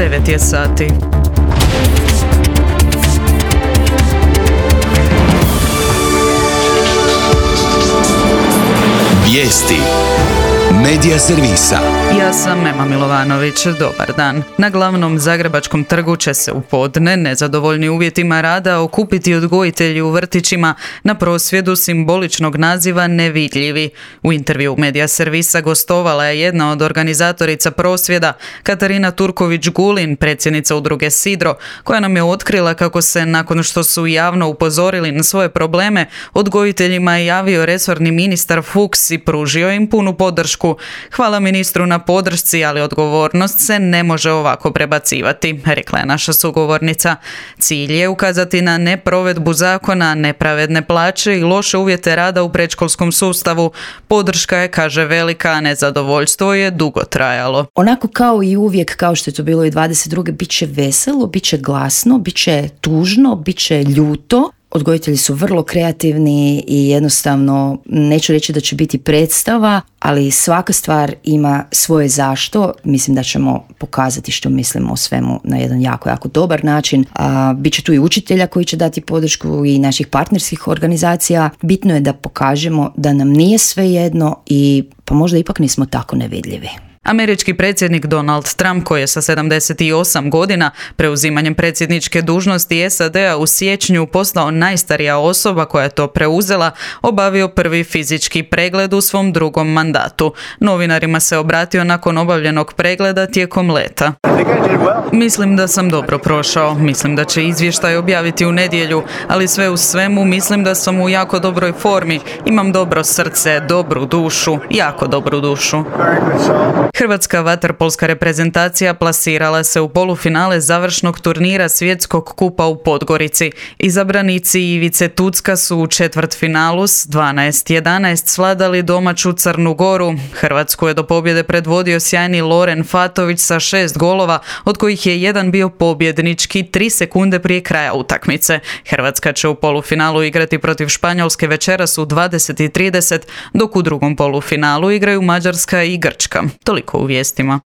9 je sati. Vijesti Medija servisa. Ja sam Ema Milovanović, dobar dan. Na glavnom zagrebačkom trgu će se u podne, nezadovoljni uvjetima rada, okupiti odgojitelji u vrtićima na prosvjedu simboličnog naziva Nevidljivi. U intervju Medija servisa gostovala je jedna od organizatorica prosvjeda, Katarina Turković-Gulin, predsjednica udruge Sidro, koja nam je otkrila kako se, nakon što su javno upozorili na svoje probleme, odgojiteljima je javio resorni ministar Fuchs i pružio im punu podršku. Hvala ministru na podršci, ali odgovornost se ne može ovako prebacivati, rekla je naša sugovornica. Cilj je ukazati na neprovedbu zakona, nepravedne plaće i loše uvjete rada u predškolskom sustavu. Podrška je, kaže, velika, a nezadovoljstvo je dugo trajalo. Onako kao i uvijek, kao što je to bilo i 22. bit će veselo, bit će glasno, bit će tužno, bit će ljuto. Odgojitelji su vrlo kreativni i jednostavno, neću reći da će biti predstava, ali svaka stvar ima svoje zašto. Mislim da ćemo pokazati što mislimo o svemu na jedan jako dobar način. Biće tu i učitelja koji će dati podršku i naših partnerskih organizacija. Bitno je da pokažemo da nam nije svejedno i pa možda ipak nismo tako nevidljivi. Američki predsjednik Donald Trump, koji je sa 78 godina preuzimanjem predsjedničke dužnosti SAD-a u siječnju postao najstarija osoba koja je to preuzela, obavio prvi fizički pregled u svom drugom mandatu. Novinarima se obratio nakon obavljenog pregleda tijekom leta. Mislim da sam dobro prošao, mislim da će izvještaj objaviti u nedjelju, ali sve u svemu mislim da sam u jako dobroj formi, imam dobro srce, dobru dušu, jako dobru dušu. Hrvatska vaterpolska reprezentacija plasirala se u polufinale završnog turnira Svjetskog kupa u Podgorici. Izabranici Ivice Tucka su u četvrtfinalu s 12-11 svladali domaću Crnu Goru. Hrvatsku je do pobjede predvodio sjajni Loren Fatović sa 6 golova, od kojih je jedan bio pobjednički 3 sekunde prije kraja utakmice. Hrvatska će u polufinalu igrati protiv Španjolske večeras u 20:30, dok u drugom polufinalu igraju Mađarska i Grčka. Toliko u vijestima.